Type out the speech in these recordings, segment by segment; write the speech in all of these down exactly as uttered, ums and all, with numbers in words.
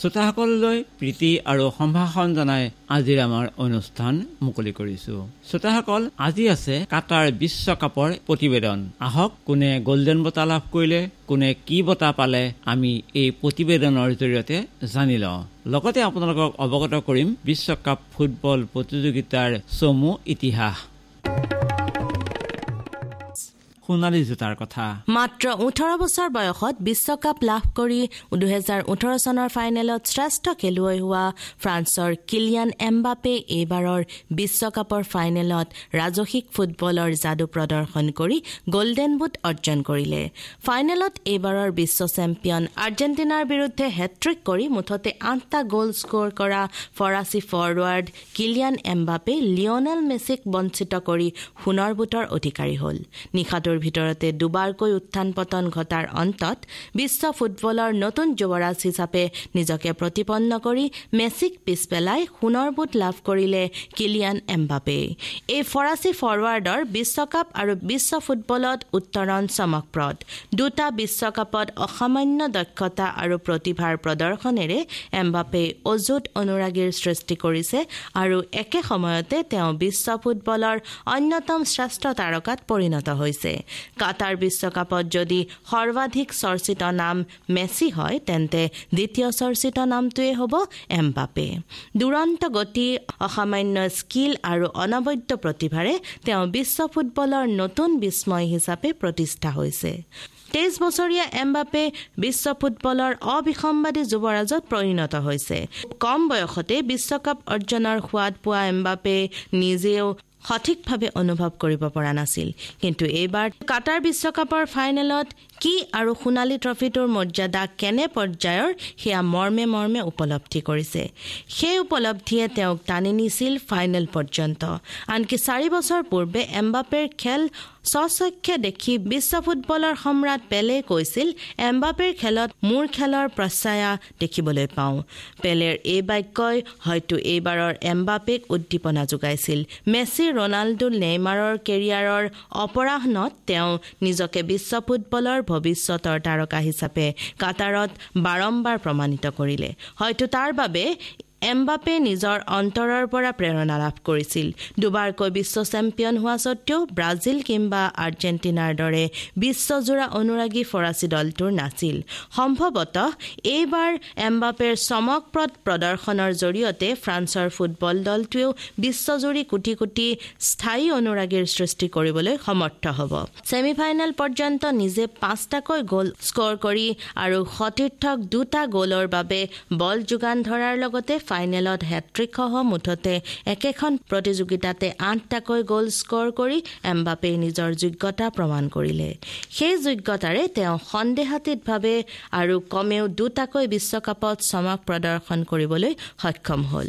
শ্ৰোতাসকললৈ প্ৰীতি আৰু সম্ভাষণ জনাই আজিৰ আমাৰ অনুষ্ঠান মুকলি কৰিছো। শ্ৰোতাসকল, আজি আছে কাটাৰ বিশ্বকাপৰ প্ৰতিবেদন। আহক, কোনে গল্ডেন বঁটা লাভ কৰিলে, কোনে কি বঁটা পালে আমি এই প্ৰতিবেদনৰ জৰিয়তে জানি লওঁ। লগতে আপোনালোকক অৱগত কৰিম বিশ্বকাপ ফুটবল প্ৰতিযোগিতাৰ চমু ইতিহাস। সোণালী জোতাৰ কথা। মাত্ৰ ওঠৰ বছৰ বয়সত বিশ্বকাপ লাভ কৰি দুহেজাৰ ওঠৰ চনৰ ফাইনেলত শ্ৰেষ্ঠ খেলুৱৈ হোৱা ফ্ৰান্সৰ কিলিয়ান এমবাপে এইবাৰৰ বিশ্বকাপৰ ফাইনেলত ৰাজসিক ফুটবলৰ যাদু প্ৰদৰ্শন কৰি গল্ডেন বুট অৰ্জন কৰিলে। ফাইনেলত এইবাৰৰ বিশ্ব চেম্পিয়ন আৰ্জেণ্টিনাৰ বিৰুদ্ধে হেট্ৰিক কৰি মুঠতে আঠটা গ'ল স্ক'ৰ কৰা ফৰাচী ফৰৱাৰ্ড কিলিয়ান এমবাপে লিঅনেল মেছিক বঞ্চিত কৰি সোণৰ বুটৰ অধিকাৰী হ'ল। নিশাটোৰ ভিতৰতে দুবাৰকৈ উত্থান পতন ঘটাৰ অন্তত বিশ্ব ফুটবলৰ নতুন যুৱৰাজ হিচাপে নিজকে প্ৰতিপন্ন কৰি মেছিক পিছ পেলাই সোণৰ বুট লাভ কৰিলে কিলিয়ান এমবাপে। এই ফৰাচী ফৰৱাৰ্ডৰ বিশ্বকাপ আৰু বিশ্ব ফুটবলত উত্তৰণ চমকপ্ৰদ। দুটা বিশ্বকাপত অসামান্য দক্ষতা আৰু প্ৰতিভাৰ প্ৰদৰ্শনেৰে এমবাপে অযুত অনুৰাগীৰ সৃষ্টি কৰিছে আৰু একে সময়তে তেওঁ বিশ্ব ফুটবলৰ অন্যতম শ্ৰেষ্ঠ তাৰকাত পৰিণত হৈছে। কাটাৰ বিশ্বকাপত যদি সৰ্বাধিক চৰ্চিত নাম মেছি হয়, তেন্তে দ্বিতীয় চৰ্চিত নামটোৱে হ'ব এমবাপে। দুৰন্ত গতি, অসামান্য স্কিল আৰু অনবদ্য প্ৰতিভাৰে তেওঁ বিশ্ব ফুটবলৰ নতুন বিস্ময় হিচাপে প্ৰতিষ্ঠা হৈছে। তেইছ বছৰীয়া এমবাপে বিশ্ব ফুটবলৰ অবিসম্বাদী যুৱৰাজত পৰিণত হৈছে। কম বয়সতে বিশ্বকাপ অৰ্জনৰ সোৱাদ পোৱা এমবাপে নিজেও সঠিকভাৱে অনুভৱ কৰিব পৰা নাছিল। কিন্তু এইবাৰ কাটাৰ বিশ্বকাপৰ ফাইনেলত কি আৰু সোণালী ট্ৰফিটোৰ মৰ্যাদা কেনে পৰ্যায়ৰ সেয়া মৰ্মে মৰ্মে উপলব্ধি কৰিছে। সেই উপলব্ধিয়ে তেওঁক টানি নিছিল ফাইনেল পৰ্যন্ত। আনকি চাৰি বছৰ পূৰ্বে এমবাপেৰ খেল স্বচক্ষে দেখি বিশ্ব ফুটবলৰ সম্ৰাট পেলে কৈছিল, এমবাপেৰ খেলত মোৰ খেলৰ প্ৰচ্ছায়া দেখিবলৈ পাওঁ। পেলেৰ এই বাক্যই হয়তো এইবাৰৰ এমবাপেক উদ্দীপনা যোগাইছিল। মেছি, ৰনাল্ডো, নেইমাৰৰ কেৰিয়াৰৰ অপৰাহ্নত তেওঁ নিজকে বিশ্ব ফুটবলৰ ভৱিষ্যতৰ তাৰকা হিচাপে কাটাৰত বাৰম্বাৰ প্ৰমাণিত কৰিলে। হয়তো তাৰ বাবে এমবাপে নিজৰ অন্তৰৰ পৰা প্ৰেৰণা লাভ কৰিছিল। দুবাৰকৈ বিশ্ব চেম্পিয়ন হোৱা সত্ত্বেও ব্ৰাজিল কিম্বা আৰ্জেণ্টিনাৰ দৰে বিশ্বজোৰা অনুৰাগী ফৰাচী দলটোৰ নাছিল। সম্ভৱতঃ এইবাৰ এমবাপেৰ চমকপ্ৰদ প্ৰদৰ্শনৰ জৰিয়তে ফ্ৰান্সৰ ফুটবল দলটোৱেও বিশ্বজুৰি কোটি কোটি স্থায়ী অনুৰাগীৰ সৃষ্টি কৰিবলৈ সমৰ্থ হ'ব। ছেমিফাইনেল পৰ্যন্ত নিজে পাঁচটাকৈ গ'ল স্ক'ৰ কৰি আৰু সতীৰ্থক দুটা গ'লৰ বাবে বল যোগান ধৰাৰ লগতে ফাইনেলত হেট্ৰিকসহ মুঠতে একেখন প্ৰতিযোগিতাতে আঠটাকৈ গ'ল স্ক'ৰ কৰি এমবাপে নিজৰ যোগ্যতা প্ৰমাণ কৰিলে। সেই যোগ্যতাৰে তেওঁ সন্দেহাতীতভাৱে আৰু কমেও দুটাকৈ বিশ্বকাপত চমক প্ৰদৰ্শন কৰিবলৈ সক্ষম হ'ল।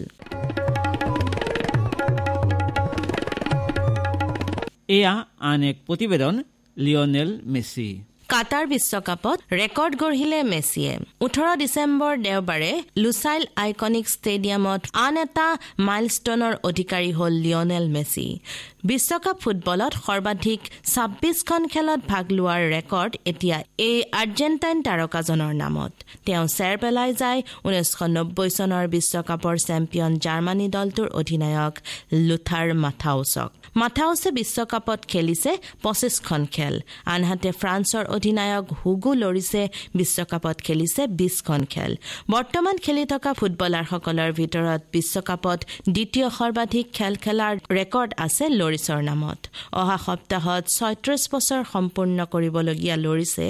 এয়া আন এক প্ৰতিবেদন। লিঅনেল মেছি কাটাৰ বিশ্বকাপত ৰেকৰ্ড গঢ়িলে মেছিয়ে। ওঠৰ ডিচেম্বৰ দেওবাৰে লুচাইল আইকনিক ষ্টেডিয়ামত আন এটা মাইলষ্টনৰ অধিকাৰী হ'ল লিঅনেল মেছি। বিশ্বকাপ ফুটবলত সৰ্বাধিক ছাব্বিছখন খেলত ভাগ লোৱাৰ ৰেকৰ্ড এতিয়া এই আৰ্জেণ্টাইন তাৰকাজনৰ নামত। তেওঁ চেৰ পেলাই যায় ঊনৈছশ নব্বৈ চনৰ বিশ্বকাপৰ চেম্পিয়ন জাৰ্মানী দলটোৰ অধিনায়ক লুথাৰ মাথাউছক। মাথাউছে বিশ্বকাপত খেলিছে পঁচিছখন খেল। আনহাতে ফ্ৰান্সৰ অধিনায়ক হুগো লৰিছে বিশ্বকাপত খেলিছে বিছখন খেল। বৰ্তমান খেলি থকা ফুটবলাৰসকলৰ ভিতৰত বিশ্বকাপত দ্বিতীয় সৰ্বাধিক খেল খেলাৰ ৰেকৰ্ড আছে লৰিছৰ নামত। অহা সপ্তাহত ছয়ত্ৰিছ বছৰ সম্পূৰ্ণ কৰিবলগীয়া লৰিছে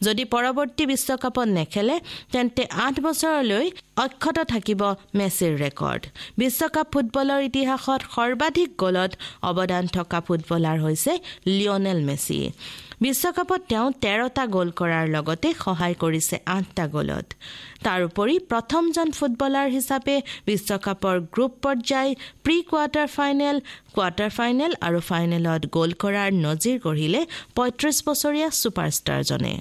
যদি পৰৱৰ্তী বিশ্বকাপত নেখেলে তেন্তে আঠ বছৰলৈ অক্ষত থাকিব মেছিৰ ৰেকৰ্ড। বিশ্বকাপ ফুটবলৰ ইতিহাসত সৰ্বাধিক গ'লত অৱদান থকা ফুটবলাৰ হৈছে লিঅনেল মেছি। বিশ্বকাপত তেওঁ তেৰটা গ'ল কৰাৰ লগতে সহায় কৰিছে আঠটা গ'লত। তাৰোপৰি প্ৰথমজন ফুটবলাৰ হিচাপে বিশ্বকাপৰ গ্ৰুপ পৰ্যায়, pre quarter final, quarter final আৰু ফাইনেলত গ'ল কৰাৰ নজিৰ গঢ়িলে পঁয়ত্ৰিছ বছৰীয়া ছুপাৰষ্টাৰজনে।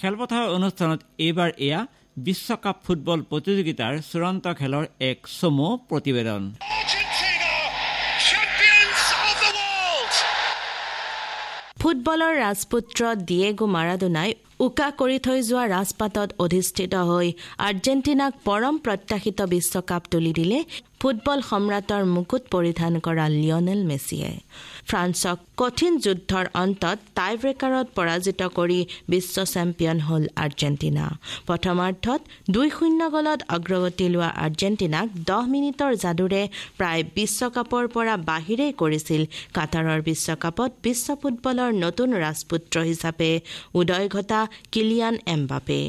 খেলপথাৰ অনুষ্ঠানত এইবাৰ এয়া বিশ্বকাপ ফুটবল প্ৰতিযোগিতাৰ চূড়ান্ত খেলৰ এক চমু প্ৰতিবেদন। ফুটবলৰ ৰাজপুত্ৰ ডিয়েগো মাৰাডোনাই উকা কৰি থৈ যোৱা ৰাজপাটত অধিষ্ঠিত হৈ আৰ্জেণ্টিনাক পৰম প্ৰত্যাশিত বিশ্বকাপ তুলি দিলে ফুটবল সম্ৰাটৰ মুকুট পৰিধান কৰা লিঅনেল মেছিয়ে। ফ্ৰান্সক কঠিন যুদ্ধৰ অন্তত টাইব্ৰেকাৰত পৰাজিত কৰি বিশ্ব চেম্পিয়ন হ'ল আৰ্জেণ্টিনা। প্ৰথমাৰ্ধত দুই শূন্য গ'লত অগ্ৰগতি লোৱা আৰ্জেণ্টিনাক দহ মিনিটৰ যাদুৰে প্ৰায় বিশ্বকাপৰ পৰা বাহিৰেই কৰিছিল কাটাৰৰ বিশ্বকাপত বিশ্ব ফুটবলৰ নতুন ৰাজপুত্ৰ হিচাপে উদয় ঘটা কিলিয়ান এমবাপে।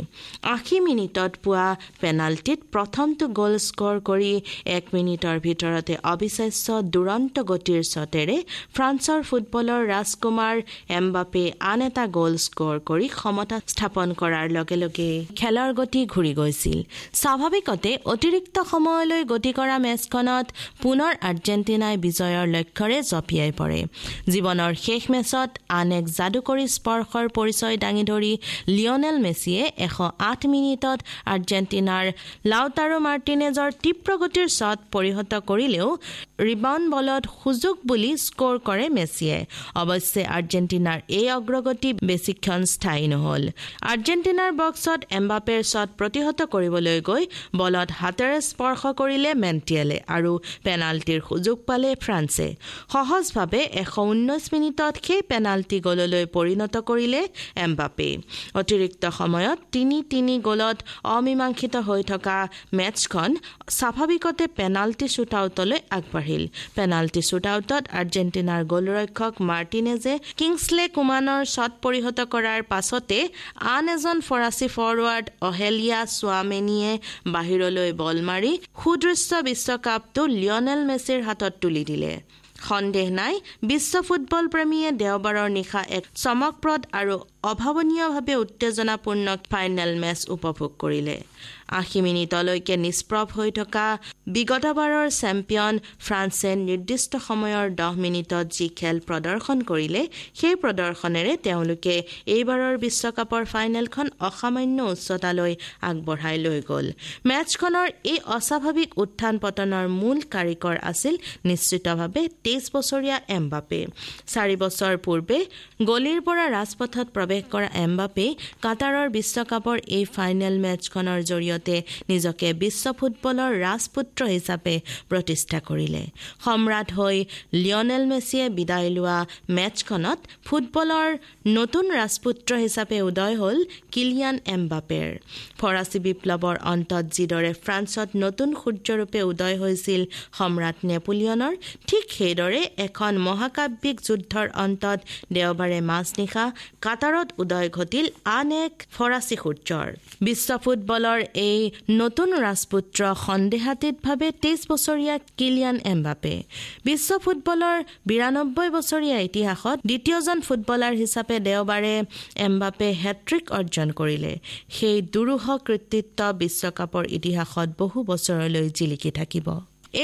আশী মিনিটত পোৱা পেনাল্টিত প্ৰথমটো গ'ল স্ক'ৰ কৰি এক মিনিটৰ ভিতৰতে অবিশ্বাস্য দুৰন্ত গতিৰ শ্বটেৰে ফ্ৰান্সৰ ফুটবলৰ ৰাজকুমাৰ এমবাপে আন এটা গ'ল স্ক'ৰ কৰি সমতা স্থাপন কৰাৰ লগে লগে খেলৰ গতি ঘূৰি গৈছিল। স্বাভাৱিকতে অতিৰিক্ত সময়লৈ গতি কৰা মেচখনত পুনৰ আৰ্জেণ্টিনাই বিজয়ৰ লক্ষ্যৰে জঁপিয়াই পৰে। জীৱনৰ শেষ মেচত আন এক যাদুকৰী স্পৰ্শৰ পৰিচয় দাঙি ধৰি লিঅনেল মেছিয়ে এশ আঠ মিনিটত আৰ্জেণ্টিনাৰ লাউটাৰো মাৰ্টিনেজৰ তীব্ৰ গতিৰ শ্বট পৰিহত কৰিলেও ৰিবাউণ্ড বলত সুযোগ বুলি স্ক'ৰ কৰে মেছিয়ে। অৱশ্যে আৰ্জেণ্টিনাৰ এই অগ্ৰগতি বেছিক্ষণ স্থায়ী নহ'ল। আৰ্জেণ্টিনাৰ বক্সত এমবাপেৰ শ্বট প্ৰতিহত কৰিবলৈ গৈ বলত হাতেৰে স্পৰ্শ কৰিলে মেণ্টিয়েলে আৰু পেনাল্টিৰ সুযোগ পালে ফ্ৰান্সে। সহজভাৱে এশ ঊনৈছ মিনিটত সেই পেনাল্টি গ'ললৈ পৰিণত কৰিলে এমবাপে। অতিৰিক্ত সময়ত তিনি তিনি গ'লত অমীমাংসিত হৈ থকা মেচখন স্বাভাৱিকতে পেনাল্টি শ্বুটআউটলৈ আগবাঢ়িল। পেনাল্টি শ্বুটআউটত আৰ্জেণ্টিনাৰ গ'লৰক্ষক মাৰ্টিনেজে কিংছলে কুমানৰ শ্বট পৰিহত কৰাৰ পাছতে আন এজন ফৰাচী ফৰৱাৰ্ড অহেলিয়া চুৱামেনিয়ে বাহিৰলৈ বল মাৰি সুদৃশ্য বিশ্বকাপটো লিঅনেল মেছিৰ হাতত তুলি দিলে। সন্দেহ নাই, বিশ্ব ফুটবল প্ৰেমীয়ে দেওবাৰৰ নিশা এক চমকপ্ৰদ আৰু অভাৱনীয়ভাৱে উত্তেজনাপূৰ্ণ ফাইনেল মেচ উপভোগ কৰিলে। আশী মিনিটলৈকে নিষ্প্ৰভ হৈ থকা বিগতবাৰৰ চেম্পিয়ন ফ্ৰান্সে নিৰ্দিষ্ট সময়ৰ দহ মিনিটত যি খেল প্ৰদৰ্শন কৰিলে, সেই প্ৰদৰ্শনেৰে তেওঁলোকে এইবাৰৰ বিশ্বকাপৰ ফাইনেলখন অসামান্য উচ্চতালৈ আগবঢ়াই লৈ গ'ল। মেচখনৰ এই অস্বাভাৱিক উত্থান পতনৰ মূল কাৰিকৰ আছিল নিশ্চিতভাৱে তেইছ বছৰীয়া এমবাপে। চাৰি বছৰ পূৰ্বে গলিৰ পৰা ৰাজপথত প্ৰৱেশ কৰা এমবাপে কাটাৰৰ বিশ্বকাপৰ এই ফাইনেল মেচখনৰ জৰিয়তে নিজকে বিশ্ব ফুটবলৰ ৰাজপুত্ৰ হিচাপে প্ৰতিষ্ঠা কৰিলে। সম্ৰাট হৈ লিঅনেল মেছিয়ে বিদায় লোৱা মেচখনত ফুটবলৰ নতুন ৰাজপুত্ৰ হিচাপে উদয় হ'ল কিলিয়ান এমবাপেৰ। ফৰাচী বিপ্লৱৰ অন্তত যিদৰে ফ্ৰান্সত নতুন সূৰ্যৰূপে উদয় হৈছিল সম্ৰাট নেপোলিয়নৰ, ঠিক সেইদৰে এখন মহাকাব্যিক যুদ্ধৰ অন্তত দেওবাৰে মাজনিশা কাটাৰত উদয় ঘটিল আন এক ফৰাচী সূৰ্যৰ। বিশ্ব ফুটবলৰ এই নতুন ৰাজপুত্ৰ সন্দেহাতীতভাৱে তেইছ বছৰীয়া কিলিয়ান এমবাপে। বিশ্ব ফুটবলৰ বিৰানব্বৈ বছৰীয়া ইতিহাসত দ্বিতীয়জন ফুটবলাৰ হিচাপে দেওবাৰে এমবাপে হেট্ৰিক অৰ্জন কৰিলে। সেই দুৰূহ কৃতিত্ব বিশ্বকাপৰ ইতিহাসত বহু বছৰলৈ জিলিকি থাকিব।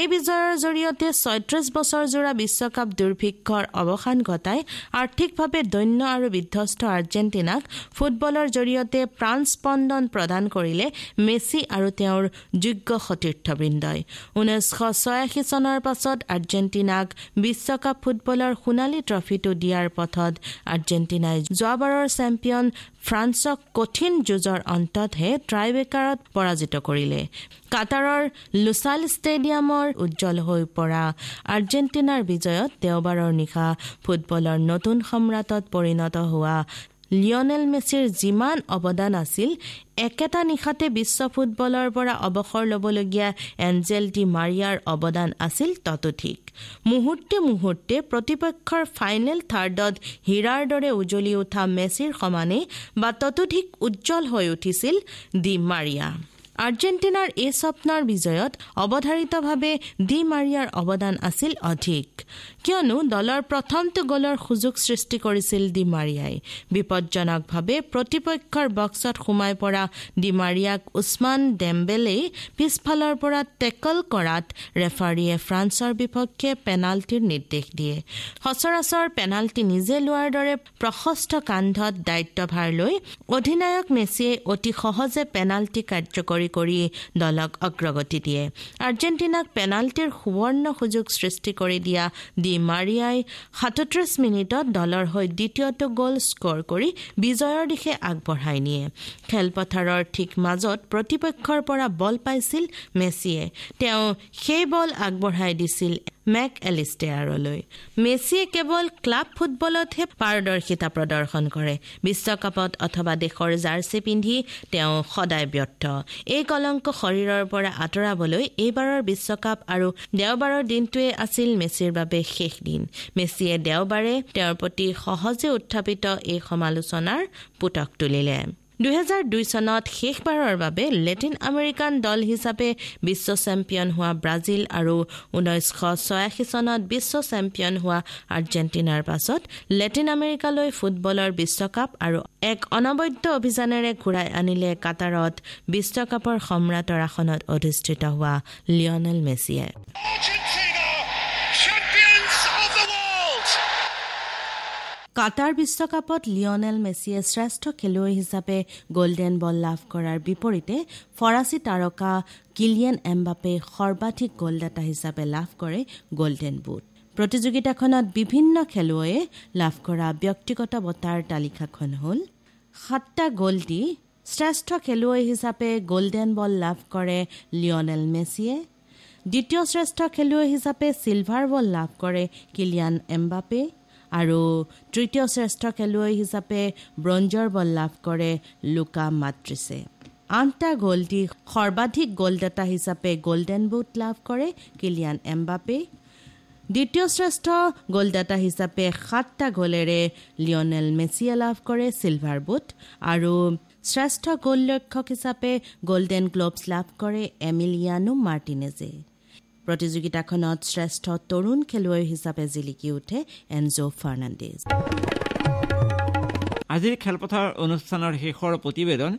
এই বিজয়ৰ জৰিয়তে ছয়ত্ৰিশ বছৰজোৰা বিশ্বকাপ দুৰ্ভিক্ষৰ অৱসান ঘটাই আৰ্থিকভাৱে দৈন্য আৰু বিধ্বস্ত আৰ্জেণ্টিনাক ফুটবলৰ জৰিয়তে প্ৰাণস্পন্দন প্ৰদান কৰিলে মেছি আৰু তেওঁৰ যোগ্য সতীৰ্থবৃন্দই। ঊনৈছশ ছয়াশী চনৰ পাছত আৰ্জেণ্টিনাক বিশ্বকাপ ফুটবলৰ সোণালী ট্ৰফিটো দিয়াৰ পথত আৰ্জেণ্টিনাই যোৱাবাৰৰ চেম্পিয়ন ফ্ৰান্সক কঠিন যুঁজৰ অন্ততহে ট্ৰাইবেকাৰত পৰাজিত কৰিলে। কাটাৰৰ লুচাইল ষ্টেডিয়ামৰ উজ্জ্বল হৈ পৰা আৰ্জেণ্টিনাৰ বিজয়ত দেওবাৰৰ নিশা ফুটবলৰ নতুন সম্ৰাটত পৰিণত হোৱা লিঅনেল মেছিৰ যিমান অৱদান আছিল, একেটা নিশাতে বিশ্ব ফুটবলৰ পৰা অৱসৰ ল'বলগীয়া এঞ্জেল ডি মাৰিয়াৰ অৱদান আছিল ততোধিক। মুহূৰ্তে মুহূৰ্তে প্ৰতিপক্ষৰ ফাইনেল থাৰ্ডত হীৰাৰ দৰে উজ্বলি উঠা মেছিৰ সমানে বা ততোধিক উজ্জ্বল হৈ উঠিছিল ডি মাৰিয়া। আৰ্জেণ্টিনাৰ এই স্বপ্নৰ বিজয়ত অৱধাৰিতভাৱে ডি মাৰিয়াৰ অৱদান আছিল অধিক, কিয়নো দলৰ প্ৰথমটো গ'লৰ সুযোগ সৃষ্টি কৰিছিল ডি মাৰিয়াই। বিপজ্জনকভাৱে প্ৰতিপক্ষৰ বক্সত সোমাই পৰা ডি মাৰিয়াক উছমান ডেম্বেলেই পিছফালৰ পৰা টেকল কৰাত ৰেফাৰীয়ে ফ্ৰান্সৰ বিপক্ষে পেনাল্টিৰ নিৰ্দেশ দিয়ে। সচৰাচৰ পেনাল্টি নিজে লোৱাৰ দৰে প্ৰশস্ত কান্ধত দায়িত্বভাৰ লৈ অধিনায়ক মেছিয়ে অতি সহজে পেনাল্টি কাৰ্যকৰী চেঞ্চুৰী কৰি দলক অগ্ৰগতি দিয়ে। আৰ্জেণ্টিনাক পেনাল্টিৰ সুবৰ্ণ সুযোগ সৃষ্টি কৰি দিয়া ডি মাৰিয়াই সাতত্ৰিশ মিনিটত দলৰ হৈ দ্বিতীয়টো গ'ল স্ক'ৰ কৰি বিজয়ৰ দিশে আগবঢ়াই নিয়ে। খেলপথাৰৰ ঠিক মাজত প্ৰতিপক্ষৰ পৰা বল পাইছিল মেছিয়ে। তেওঁ সেই বল আগবঢ়াই দিছিল মেক এলিষ্টেয়াৰলৈ। মেছিয়ে কেৱল ক্লাব ফুটবলতহে পাৰদৰ্শিতা প্ৰদৰ্শন কৰে, বিশ্বকাপত অথবা দেশৰ জাৰ্চি পিন্ধি তেওঁ সদায় ব্যৰ্থ। এই কলংক শৰীৰৰ পৰা আঁতৰাবলৈ এইবাৰৰ বিশ্বকাপ আৰু দেওবাৰৰ দিনটোৱে আছিল মেছিৰ বাবে শেষ দিন। মেছিয়ে দেওবাৰে তেওঁৰ প্ৰতি সহজে উত্থাপিত এই সমালোচনাৰ পুতক তুলিলে। দুহেজাৰ দুই চনত শেষবাৰৰ বাবে লেটিন আমেৰিকান দল হিচাপে বিশ্ব চেম্পিয়ন হোৱা ব্ৰাজিল আৰু ঊনৈছশ ছয়াশী চনত বিশ্ব চেম্পিয়ন হোৱা আৰ্জেণ্টিনাৰ পাছত লেটিন আমেৰিকালৈ ফুটবলৰ বিশ্বকাপ আৰু এক অনবদ্য অভিযানেৰে ঘূৰাই আনিলে কাটাৰত বিশ্বকাপৰ সম্ৰাটৰ আসনত অধিষ্ঠিত হোৱা লিঅনেল মেছিয়ে। কাটাৰ বিশ্বকাপত লিঅনেল মেছিয়ে শ্ৰেষ্ঠ খেলুৱৈ হিচাপে গল্ডেন বল লাভ কৰাৰ বিপৰীতে ফৰাচী তাৰকা কিলিয়ান এমবাপে সৰ্বাধিক গ'লদাতা হিচাপে লাভ কৰে গল্ডেন বুট। প্ৰতিযোগিতাখনত বিভিন্ন খেলুৱৈয়ে লাভ কৰা ব্যক্তিগত বঁটাৰ তালিকাখন হ'ল: সাতটা গ'ল দি শ্ৰেষ্ঠ খেলুৱৈ হিচাপে গল্ডেন বল লাভ কৰে লিঅনেল মেছিয়ে। দ্বিতীয় শ্ৰেষ্ঠ খেলুৱৈ হিচাপে চিলভাৰ বল লাভ কৰে কিলিয়ান এমবাপে আৰু তৃতীয় শ্ৰেষ্ঠ খেলুৱৈ হিচাপে ব্ৰঞ্জৰ বল লাভ কৰে লুকা মাদ্ৰিছে। আঠটা গ'ল দি সৰ্বাধিক গ'লদাতা হিচাপে গল্ডেন বুট লাভ কৰে কিলিয়ান এমবাপে। দ্বিতীয় শ্ৰেষ্ঠ গ'লদাতা হিচাপে সাতটা গ'লেৰে লিঅনেল মেছিয়ে লাভ কৰে চিলভাৰ বুট আৰু শ্ৰেষ্ঠ গ'লৰক্ষক হিচাপে গল্ডেন গ্ল'ভছ লাভ কৰে এমিলিয়ানো মাৰ্টিনেজে। প্ৰতিযোগিতাখনত শ্ৰেষ্ঠ তৰুণ খেলুৱৈ হিচাপে জিলিকি উঠে এনজো ফাৰ্ণাণ্ডেজ। আজিৰ খেলপথাৰ অনুষ্ঠানৰ শেষৰ প্ৰতিবেদন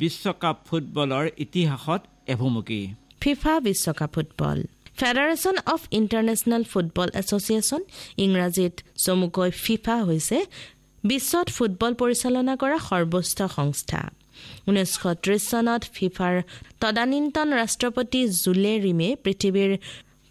বিশ্বকাপ ফুটবলৰ ইতিহাসত এভুমুকি। ফিফা বিশ্বকাপ football federation of international football association, ইংৰাজীত চমুকৈ ফিফা, হৈছে বিশ্বত ফুটবল পৰিচালনা কৰা সৰ্বোচ্চ সংস্থা। ঊনৈছশ ত্ৰিছ চনত ফিফাৰ তদানীন্তন ৰাষ্ট্ৰপতি জুলে ৰিমে পৃথিৱীৰ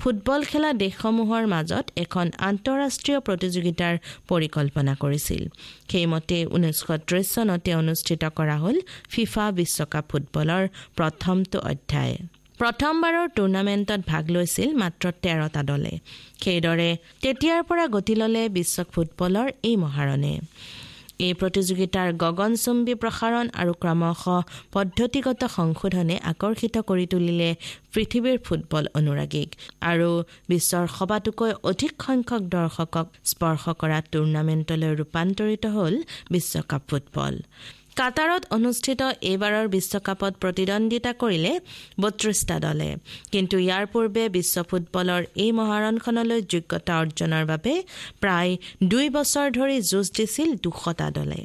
ফুটবল খেলা দেশসমূহৰ মাজত এখন আন্তঃৰাষ্ট্ৰীয় প্ৰতিযোগিতাৰ পৰিকল্পনা কৰিছিল। সেইমতে ঊনৈছশ ত্ৰিছ চনতে অনুষ্ঠিত কৰা হ'ল ফিফা বিশ্বকাপ ফুটবলৰ প্ৰথমটো অধ্যায়। প্ৰথমবাৰৰ টুৰ্ণামেণ্টত ভাগ লৈছিল মাত্ৰ তেৰটা দলে। সেইদৰে তেতিয়াৰ পৰা গতি ল'লে বিশ্ব ফুটবলৰ এই মহাৰণে। এই প্ৰতিযোগিতাৰ গগনচুম্বী প্ৰসাৰণ আৰু ক্ৰমশঃ পদ্ধতিগত সংশোধনে আকৰ্ষিত কৰি তুলিলে পৃথিৱীৰ ফুটবল অনুৰাগীক আৰু বিশ্বৰ সবাতোকৈ অধিক সংখ্যক দৰ্শকক স্পৰ্শ কৰা টুৰ্ণামেণ্টলৈ ৰূপান্তৰিত হ'ল বিশ্বকাপ ফুটবল। কাটাৰত অনুষ্ঠিত এইবাৰৰ বিশ্বকাপত প্ৰতিদ্বন্দ্বিতা কৰিলে বত্ৰিছটা দলে। কিন্তু ইয়াৰ পূৰ্বে বিশ্ব ফুটবলৰ এই মহাৰণখনলৈ যোগ্যতা অৰ্জনৰ বাবে প্ৰায় দুই বছৰ ধৰি যুঁজ দিছিল দুশটা দলে।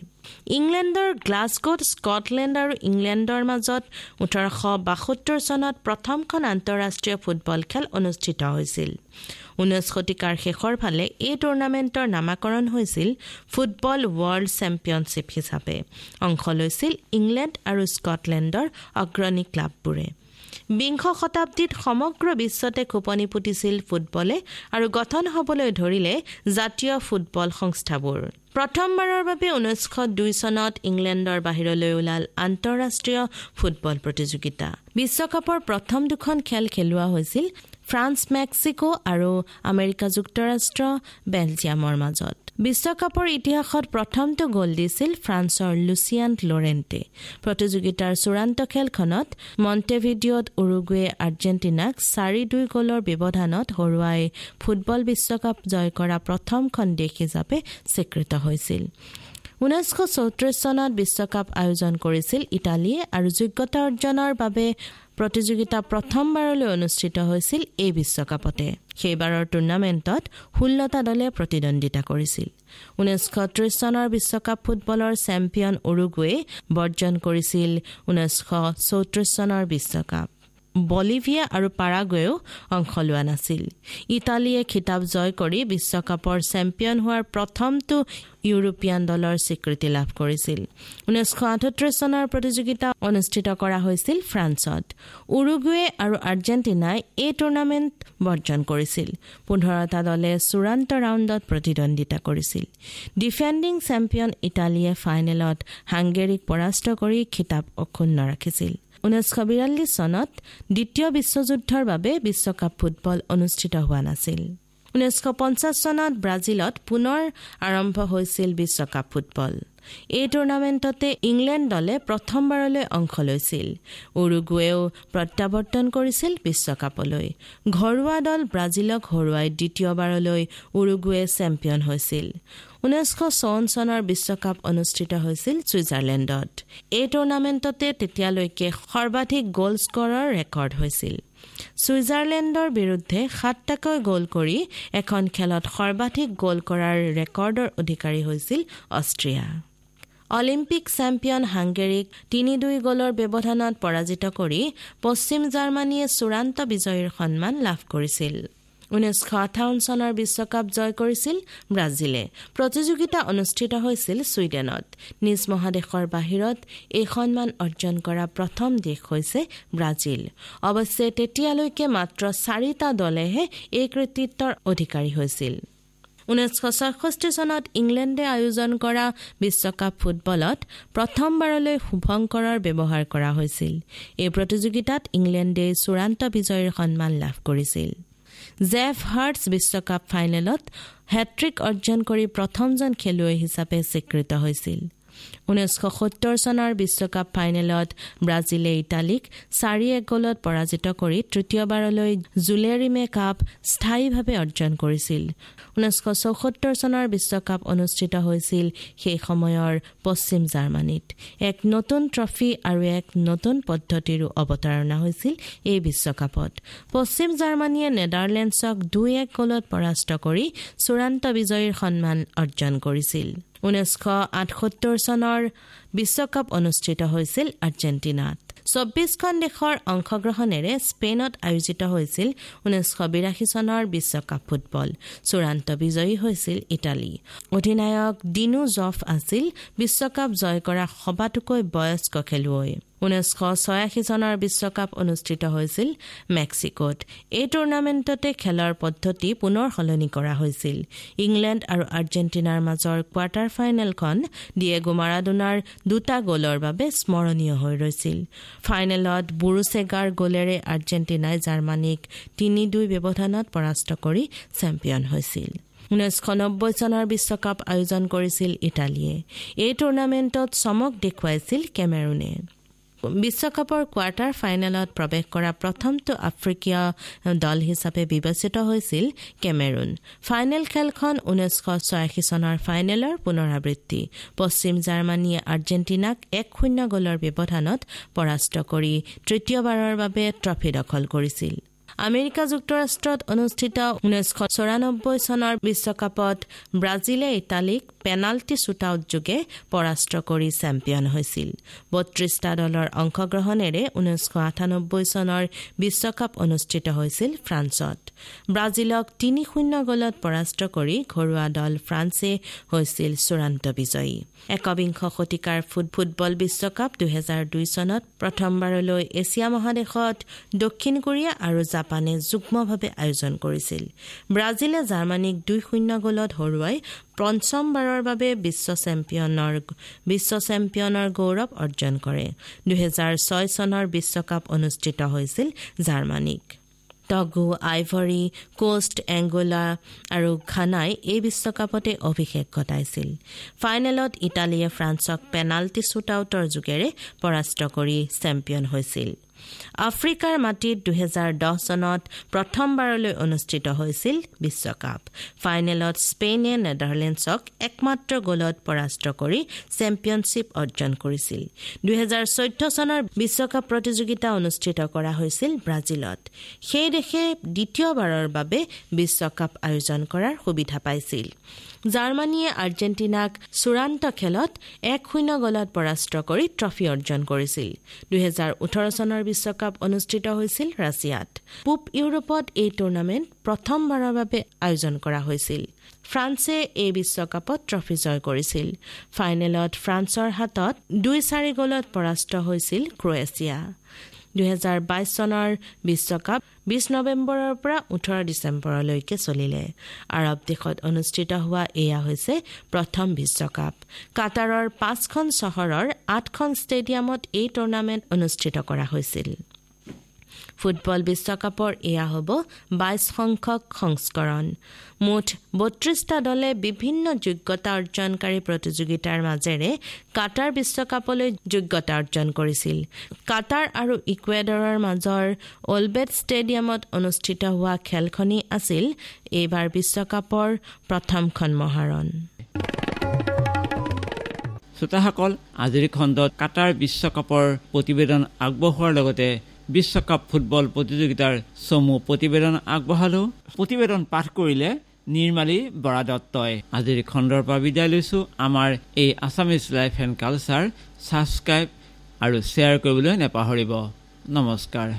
ইংলেণ্ডৰ গ্লাছগোত স্কটলেণ্ড আৰু ইংলেণ্ডৰ মাজত ওঠৰশ বাসত্তৰ চনত প্ৰথমখন আন্তঃৰাষ্ট্ৰীয় ফুটবল খেল অনুষ্ঠিত হৈছিল। ঊনৈছ শতিকাৰ শেষৰ ফালে এই টুৰ্ণামেণ্টৰ নামাকৰণ হৈছিল ফুটবল ৱৰ্ল্ড চেম্পিয়নশ্বিপ হিচাপে। অংশ লৈছিল ইংলেণ্ড আৰু স্কটলেণ্ডৰ অগ্ৰণী ক্লাববোৰে। বিংশ শতাব্দীত সমগ্ৰ বিশ্বতে খোপনি পুতিছিল ফুটবলে আৰু গঠন হ'বলৈ ধৰিলে জাতীয় ফুটবল সংস্থাবোৰ। প্ৰথমবাৰৰ বাবে ঊনৈছশ দুই চনত ইংলেণ্ডৰ বাহিৰলৈ ওলাল আন্তঃৰাষ্ট্ৰীয় ফুটবল প্ৰতিযোগিতা। বিশ্বকাপৰ প্ৰথম দুখন খেল খেলোৱা হৈছিল ফ্ৰান্স, মেক্সিকো আৰু আমেৰিকা যুক্তৰাষ্ট্ৰ, বেলজিয়ামৰ মাজত। বিশ্বকাপৰ ইতিহাসত প্ৰথমটো গ'ল দিছিল ফ্ৰান্সৰ লুচিয়ান লৰেণ্টে। প্ৰতিযোগিতাৰ চূড়ান্ত খেলখনত মণ্টেভিডিঅ'ত উৰুগুৱে আৰ্জেণ্টিনাক চাৰি দুই গ'লৰ ব্যৱধানত হৰুৱাই ফুটবল বিশ্বকাপ জয় কৰা প্ৰথমখন দেশ হিচাপে স্বীকৃত হৈছিল। ঊনৈছশ চৌত্ৰিছ চনত বিশ্বকাপ আয়োজন কৰিছিল ইটালীয়ে আৰু যোগ্যতা অৰ্জনৰ বাবে প্ৰতিযোগিতা প্ৰথমবাৰলৈ অনুষ্ঠিত হৈছিল এই বিশ্বকাপতে। সেইবাৰৰ টুৰ্ণামেণ্টত ষোল্লটা দলে প্ৰতিদ্বন্দ্বিতা কৰিছিল। ঊনৈছশ ত্ৰিছ চনৰ বিশ্বকাপ ফুটবলৰ চেম্পিয়ন উৰুগুৱে বৰ্জন কৰিছিল ঊনৈছশ চৌত্ৰিছ চনৰ বিশ্বকাপ। বলিভিয়া আৰু পাৰাগুৱেও অংশ লোৱা নাছিল। ইটালীয়ে খিতাপ জয় কৰি বিশ্বকাপৰ চেম্পিয়ন হোৱাৰ প্ৰথমটো ইউৰোপীয়ান দলৰ স্বীকৃতি লাভ কৰিছিল। ঊনৈছশ আঠত্ৰিশ চনৰ প্ৰতিযোগিতা অনুষ্ঠিত কৰা হৈছিল ফ্ৰান্সত। উৰুগুৱে আৰু আৰ্জেণ্টিনাই এই টুৰ্ণামেণ্ট বৰ্জন কৰিছিল। পোন্ধৰটা দলে চূড়ান্ত ৰাউণ্ডত প্ৰতিদ্বন্দ্বিতা কৰিছিল। ডিফেণ্ডিং চেম্পিয়ন ইটালীয়ে ফাইনেলত হাংগেৰীক পৰাস্ত কৰি খিতাপ অক্ষুণ্ণ ৰাখিছিল। ঊনৈছশ বিৰাল্লিছ চনত দ্বিতীয় বিশ্বযুদ্ধৰ বাবে বিশ্বকাপ ফুটবল অনুষ্ঠিত হোৱা নাছিল। ঊনৈছশ পঞ্চাছ চনত ব্ৰাজিলত পুনৰ আৰম্ভ হৈছিল বিশ্বকাপ ফুটবল। এই টুৰ্ণামেণ্টতে ইংলেণ্ড দলে প্ৰথমবাৰলৈ অংশ লৈছিল। উৰুগুৱেও প্ৰত্যাৱৰ্তন কৰিছিল বিশ্বকাপলৈ। ঘৰুৱা দল ব্ৰাজিলক হৰুৱাই দ্বিতীয়বাৰলৈ উৰুগুৱে চেম্পিয়ন হৈছিল। ঊনৈছশ চৌৱন্ন চনৰ বিশ্বকাপ অনুষ্ঠিত হৈছিল ছুইজাৰলেণ্ডত। এই টুৰ্ণামেণ্টতে তেতিয়ালৈকে সৰ্বাধিক গ'ল স্ক'ৰৰ ৰেকৰ্ড হৈছিল। ছুইজাৰলেণ্ডৰ বিৰুদ্ধে সাতটাকৈ গ'ল কৰি এখন খেলত সৰ্বাধিক গ'ল কৰাৰ ৰেকৰ্ডৰ অধিকাৰী হৈছিল অষ্ট্ৰিয়া। অলিম্পিক চেম্পিয়ন হাংগেৰীক তিনি দুই গ'লৰ ব্যৱধানত পৰাজিত কৰি পশ্চিম জাৰ্মানীয়ে চূড়ান্ত বিজয়ীৰ সন্মান লাভ কৰিছিল। ঊনৈছশ আঠাৱন্ন চনৰ বিশ্বকাপ জয় কৰিছিল ব্ৰাজিলে। প্ৰতিযোগিতা অনুষ্ঠিত হৈছিল ছুইডেনত। নিজ মহাদেশৰ বাহিৰত এই সন্মান অৰ্জন কৰা প্ৰথম দেশ হৈছে ব্ৰাজিল। অৱশ্যে তেতিয়ালৈকে মাত্ৰ চাৰিটা দলেহে এই কৃতিত্বৰ অধিকাৰী হৈছিল। ঊনৈছশ ছয়ষষ্ঠি চনত ইংলেণ্ডে আয়োজন কৰা বিশ্বকাপ ফুটবলত প্ৰথমবাৰলৈ শুভংকৰৰ ব্যৱহাৰ কৰা হৈছিল। এই প্ৰতিযোগিতাত ইংলেণ্ডে চূড়ান্ত বিজয়ীৰ সন্মান লাভ কৰিছিল। জেফ হাৰ্টছ বিশ্বকাপ ফাইনেলত হেট্ৰিক অৰ্জন কৰি প্ৰথমজন খেলুৱৈ হিচাপে স্বীকৃত হৈছিল। ঊনৈছশ সত্তৰ চনৰ বিশ্বকাপ ফাইনেলত ব্ৰাজিলে ইটালীক চাৰি এক গ'লত পৰাজিত কৰি তৃতীয়বাৰলৈ জুলে ৰিমে কাপ স্থায়ীভাৱে অৰ্জন কৰিছিল। ঊনৈছশ চৌসত্তৰ চনৰ বিশ্বকাপ অনুষ্ঠিত হৈছিল সেই সময়ৰ পশ্চিম জাৰ্মানীত। এক নতুন ট্ৰফী আৰু এক নতুন পদ্ধতিৰো অৱতাৰণা হৈছিল এই বিশ্বকাপত। পশ্চিম জাৰ্মানীয়ে নেডাৰলেণ্ডছক দুই এক গ'লত পৰাস্ত কৰি চূড়ান্ত বিজয়ীৰ সন্মান অৰ্জন কৰিছিল। ঊনৈছশ আঠসত্তৰ চনৰ বিশ্বকাপ অনুষ্ঠিত হৈছিল আৰ্জেণ্টিনাত। চৌব্বিছখন দেশৰ অংশগ্ৰহণেৰে স্পেইনত আয়োজিত হৈছিল ঊনৈছশ বিৰাশী চনৰ বিশ্বকাপ ফুটবল। চূড়ান্ত বিজয়ী হৈছিল ইটালী। অধিনায়ক ডিনো জফ আছিল বিশ্বকাপ জয় কৰা সবাতোকৈ বয়স্ক খেলুৱৈ। ঊনৈছশ ছয়াশী চনৰ বিশ্বকাপ অনুষ্ঠিত হৈছিল মেক্সিকোত। এই টুৰ্ণামেণ্টতে খেলৰ পদ্ধতি পুনৰ সলনি কৰা হৈছিল। ইংলেণ্ড আৰু আৰ্জেণ্টিনাৰ মাজৰ কোৱাৰ্টাৰ ফাইনেলখন ডিয়েগো মাৰাডোনাৰ দুটা গ'লৰ বাবে স্মৰণীয় হৈ ৰৈছিল। ফাইনেলত বুৰুচেগাৰ গ'লেৰে আৰ্জেণ্টিনাই জাৰ্মানীক তিনি দুই ব্যৱধানত পৰাস্ত কৰি চেম্পিয়ন হৈছিল। ঊনৈছশ নব্বৈ চনৰ বিশ্বকাপ আয়োজন কৰিছিল ইটালীয়ে। এই টুৰ্ণামেণ্টত চমক দেখুৱাইছিল কেমেৰুনে। বিশ্বকাপৰ কোৱাৰ্টাৰ ফাইনেলত প্ৰৱেশ কৰা প্ৰথমটো আফ্ৰিকীয় দল হিচাপে বিবেচিত হৈছিল কেমেৰুন। ফাইনেল খেলখন ঊনৈছশ ছয়াশী চনৰ ফাইনেলৰ পুনৰাবৃত্তি। পশ্চিম জাৰ্মানীয়ে আৰ্জেণ্টিনাক এক শূন্য গ'লৰ ব্যৱধানত পৰাস্ত কৰি তৃতীয়বাৰৰ বাবে ট্ৰফী দখল কৰিছিল। আমেৰিকা যুক্তৰাষ্ট্ৰত অনুষ্ঠিত ঊনৈছশ চৌৰানব্বৈ চনৰ বিশ্বকাপত ব্ৰাজিলে ইটালীক পেনাল্টি শ্বুটআউট যোগে পৰাস্ত কৰি চেম্পিয়ন হৈছিল। বত্ৰিশটা দলৰ অংশগ্ৰহণেৰে ঊনৈছশ আঠানব্বৈ চনৰ বিশ্বকাপ অনুষ্ঠিত হৈছিল ফ্ৰান্সত। ব্ৰাজিলক তিনি শূন্য গ'লত পৰাস্ত কৰি ঘৰুৱা দল ফ্ৰান্সে হৈছিল চূড়ান্ত বিজয়ী। একবিংশ শতিকাৰ ফুটবল বিশ্বকাপ দুহেজাৰ দুই চনত প্ৰথমবাৰলৈ এছিয়া মহাদেশত দক্ষিণ কোৰিয়া আৰু জাপানে যুগ্মভাৱে আয়োজন কৰিছিল। ব্ৰাজিলে জাৰ্মানীক দুই শূন্য গ'লত হৰুৱাই পঞ্চমবাৰৰ বাবে বিশ্ব চেম্পিয়নৰ বিশ্ব চেম্পিয়নৰ গৌৰৱ অৰ্জন কৰে। দুহেজাৰ ছয় চনৰ বিশ্বকাপ অনুষ্ঠিত হৈছিল জাৰ্মানীক। টগো, আইভৰী কোষ্ট, এংগোলা আৰু ঘানাই এই বিশ্বকাপতে অভিষেক ঘটাইছিল। ফাইনেলত ইটালীয়ে ফ্ৰান্সক পেনাল্টি শ্বুটআউটৰ যোগেৰে পৰাস্ত কৰি চেম্পিয়ন হৈছিল। আফ্ৰিকাৰ মাটিত দুহেজাৰ দহ চনত প্ৰথমবাৰলৈ অনুষ্ঠিত হৈছিল বিশ্বকাপ। ফাইনেলত স্পেইনে নেডাৰলেণ্ডছক একমাত্ৰ গ'লত পৰাস্ত কৰি চেম্পিয়নশ্বিপ অৰ্জন কৰিছিল। দুহেজাৰ চৈধ্য চনৰ বিশ্বকাপ প্ৰতিযোগিতা অনুষ্ঠিত কৰা হৈছিল ব্ৰাজিলত। সেই দেশে দ্বিতীয়বাৰৰ বাবে বিশ্বকাপ আয়োজন কৰাৰ সুবিধা পাইছিল। জাৰ্মানীয়ে আৰ্জেণ্টিনাক চূড়ান্ত খেলত এক শূন্য গ'লত পৰাস্ত কৰি ট্ৰফী অৰ্জন কৰিছিল। দুহেজাৰ ওঠৰ চনৰ বিশ্বকাপ অনুষ্ঠিত হৈছিল ৰাছিয়াত। পূব ইউৰোপত এই টুৰ্ণামেণ্ট প্ৰথমবাৰৰ বাবে আয়োজন কৰা হৈছিল। ফ্ৰান্সে এই বিশ্বকাপত ট্ৰফী জয় কৰিছিল। ফাইনেলত ফ্ৰান্সৰ হাতত দুই চাৰি গ'লত পৰাস্ত হৈছিল ক্ৰ'ৱেছিয়া। দুহেজাৰ বাইছ চনৰ বিশ্বকাপ বিছ নৱেম্বৰৰ পৰা ওঠৰ ডিচেম্বৰলৈকে চলিলে। আৰৱ দেশত অনুষ্ঠিত হোৱা এয়া হৈছে প্ৰথম বিশ্বকাপ। কাটাৰৰ পাঁচখন চহৰৰ আঠখন ষ্টেডিয়ামত এই টুৰ্ণামেণ্ট অনুষ্ঠিত কৰা হৈছিল। ফুটবল বিশ্বকাপৰ এয়া হ'ব বাইছ সংখ্যক সংস্কৰণ। মুঠ বত্ৰিছটা দলে বিভিন্ন যোগ্যতা অৰ্জনকাৰী প্ৰতিযোগিতাৰ মাজেৰে কাটাৰ বিশ্বকাপলৈ যোগ্যতা অৰ্জন কৰিছিল। কাটাৰ আৰু ইকুৱেডৰৰ মাজৰ অলবেট ষ্টেডিয়ামত অনুষ্ঠিত হোৱা খেলখনেই আছিল এইবাৰ বিশ্বকাপৰ প্ৰথমখন মহাৰণ। শ্ৰোতাসকল, আজিৰ খণ্ডত কাটাৰ বিশ্বকাপৰ প্ৰতিবেদন আগবঢ়োৱাৰ লগতে বিশ্বকাপ ফুটবল প্ৰতিযোগিতাৰ চমু প্ৰতিবেদন আগবঢ়ালো। প্ৰতিবেদন পাঠ কৰিলে নিৰ্মালী বৰা দত্তই। আজিৰ খণ্ডৰ পৰা বিদায় লৈছো। আমাৰ এই Assamese life and culture subscribe আৰু শ্বেয়াৰ কৰিবলৈ নেপাহৰিব। নমস্কাৰ।